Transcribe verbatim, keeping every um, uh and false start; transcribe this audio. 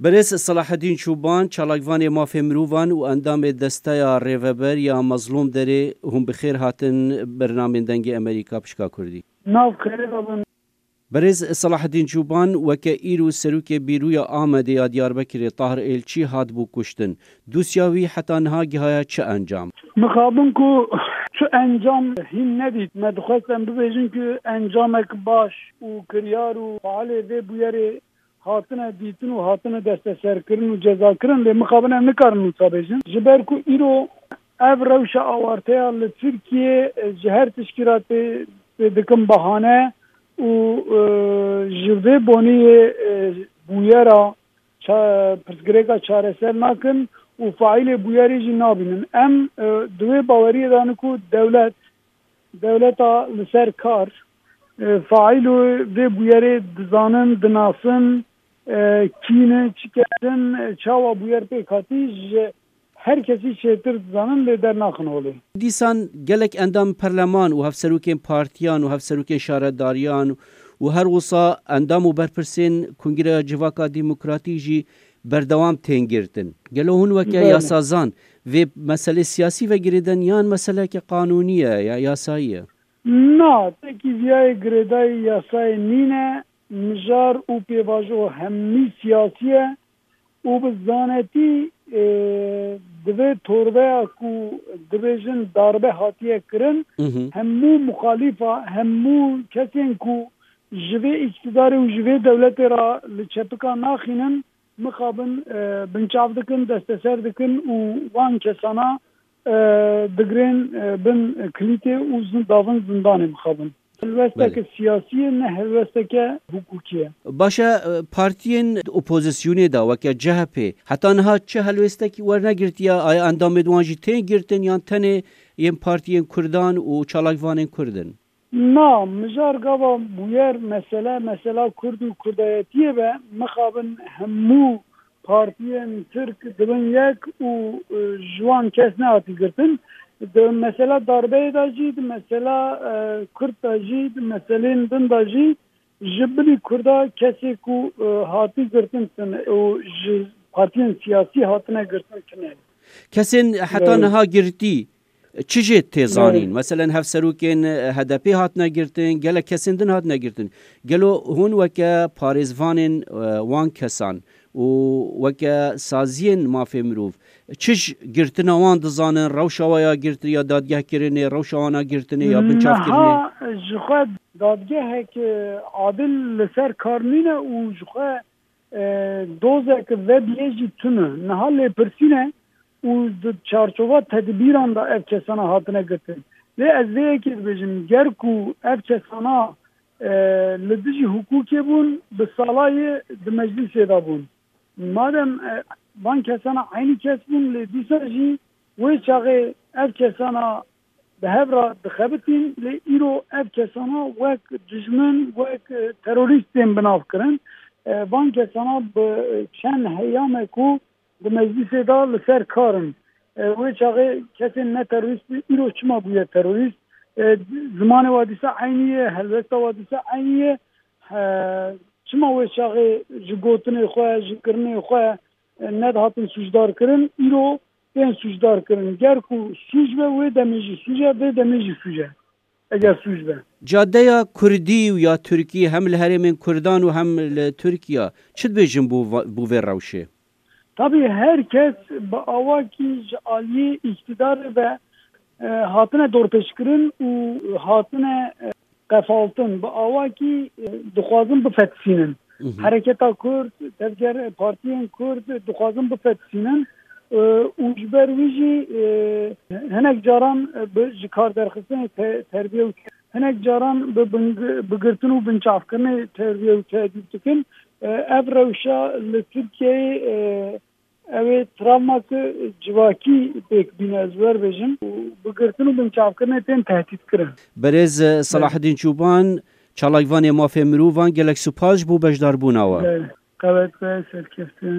Berêz Selahedîn Çûban, çalakvanê mafê mirovan û endamê Desteya Rêveber ya Mezlûm Derê, hûn bi xêr hatin bernamên Dengê Emerîka pişka Kurdî. Nav xêrê de bin. Berêz Selahedîn Çûban, weke îro serokê bîroya Amedê ya Diyarbekirê Tahir Êlçî hatibû kuştin. Dosya wî heta niha gihaya çi encam? Mixabin ku çi encam hîn nedît. Me dixwest em bibêjin ku encamek baş û kiryar û faalê vê bûyerê hatine dîtin û hatine desteserkirin û cezakirin, lê mixabin em nikarin wisa bêjin. Ji ber ku îro ev rewşa awarteya li Tirkiyê, e, ji her tişkî re tê, tê dikin bahane û, e, ji vê boniyê, e, bûyera ça-, pirsgirêka çareser nakin û faîlê bûyerê jî nabînin. Em, e, di wê baweriyê de ne ku dewlet, dewleta li ser kar, e, faîlo vê bûyerê dizanin, dinasin, e, kî ne, çi kes in, e, çawa bûyer pêk hatî, ji her kesî çêtir dizanin, lê dernaxin holê. Dîsan gelek endam perleman û hevserokên partiyan û hevserokên şaredariyan û her wisa endam û berpirsên Kongreya Civaka Demokratîk jî berdewam tên girtin. Gelo hûn weke Belê. yasazan vê meselê siyasî ve girêdin yan meseleke qanûnî ye ya yasayî ye? Na, tekî viyayê girêdayî yasayê nîne, mijar û pêvajo hemî siyasî ye û bi zanetî, e, di vê torbeya ku dibêjin darbe hatiye kirin, Mhm. hemû muxalîfa, hemû kesên ku ji vê îktidarê û ji vê dewletê re li çepika naxînin, mixabin, e, binçav dikin, desteser dikin û wan kesana, e, digirên, e, bin kilîtê û zin-, davin zindanê mixabin. Helwesteke Belê. siyasî ye, ne helwesteke hukukî ye. Baş e, e, partiyên opozisyonê de weke C H P heta niha çi helwestekî wernegirtiye? Aya endamên wan jî tên girtin yan tenê yên partiyên Kurdan û çalakvanên Kurd in? Na, mijar gava bûyer mesele, mesela Kurd û Kurdayetiyê be, mixabin hemû partiyên Tirk dibin yek û, e, ji wan kes nehatî girtin. Di mesela darbeyê de jî, di mesela, e, Kurd de jî, di meselên din de jî ji bilî Kurda kesê ku, e, hatî girtin tune û ji partiyên siyasî hatine girtin tune. Kesên heta Belê. niha girtî, çi jê tê zanîn? Belê. Meselen, hevserokên H D P hatine girtin, gelek kesên din hatine girtin. Gelo hûn weke parêzvanên, e, wan kesan û weke saziyên mafê mirov, çi ji girtina wan dizanin, rewşa wa ya girtinê ya dadgehkirinê, rewşa wana girtinê ya binçavkirinê? Niha ji xwe dadgehek, e, adil li ser kar nîne û ji xwe e, dozek vebiyê jî tune. Niha lêpirsîn e û di çarçova tedbîran de ev kesana hatine girtin. Lê ez vê yekê dibêjim, ger ku ev kesana, e, li dijî hukukê bûn, bi salayê di meclîsê de bûn. Madem, e, van kesana eynî kes bûn, lê dîsa jî wê çaxê ev kesana bi hev re dixebitîn, lê îro ev kesana wek dijmin, wek, e, terorîst tên bi nav kirin. E, van kesana bi çend heyame ku di meclîsê de li ser kar in. E, wê çaxê kesên ne terorîst bû, îro çima bûye terorîst? E, zimanê wa dîsa eynî ye, helwesta wa dîsa eynî ye. E, çima wê çaxê ji gotinê xwe, ji kirinê xwe, e, nedihatin sûcdar kirin? Îro tên sûcdar kirin. Ger ku sûc be, wê demê jî sûc e, vê demê jî sûc e, eger sûc be. Cadeya Kurdî û ya Tirkî hem li herêmên Kurdan û hem li Tirkiye çi dibêjin bo va-, bo vê rewşê? Tabî her kes bi awakî ji aliyê îktidarê ve, e, hatine dorpêçkirin û hatine, e, qefaltin. Bi awakî, e, dixwazin bifetisînin. Mhm. Hereketa Kurd, tevger partiyên Kurd dixwazin bifetisînin, e, û ji ber wî jî, e, hinek caran, e, bi, ji kar derxistinê te-, terbiye û hinek caran bi bin-, bi girtin û binçavkirinê terbiye û tedîb dikin. E, ev rewşa li Tirkiyeyê, e, ew ê travmak civakî pêk bîne, ez wer bêjim. Û bi girtin û binçavkirinê tên tehdît kirin. Berêz, e, Selahedîn Çûban, çalakvanê mafê mirovan, gelek spas ji bo beşdarbûna we. Belê. Qewet be, serkeftin.